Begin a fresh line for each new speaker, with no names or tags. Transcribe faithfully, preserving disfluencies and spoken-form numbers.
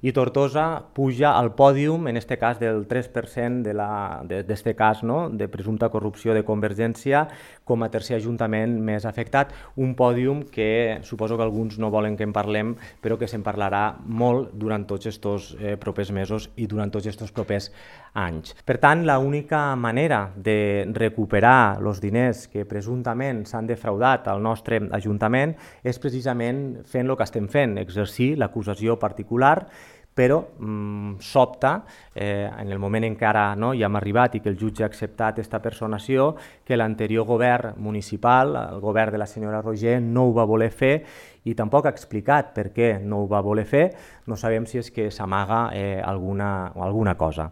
I Tortosa puja al pòdium, en este cas del tres per cent de la, de, d'este cas, no?, de presumpta corrupció de Convergència, com a tercer ajuntament més afectat. Un pòdium que suposo que alguns no volen que en parlem, però que se'n parlarà molt durant tots estos eh, propers mesos i durant tots estos propers anys. Per tant, l'única manera de recuperar els diners que presumptament s'han defraudat al nostre Ajuntament és precisament fent el que estem fent, exercir l'acusació particular, però mmm, sobta, eh, en el moment en què ara no, ja hem arribat i que el jutge ha acceptat aquesta personació, que l'anterior govern municipal, el govern de la senyora Roger, no ho va voler fer i tampoc ha explicat per què no ho va voler fer. No sabem si és que s'amaga eh, alguna, alguna cosa.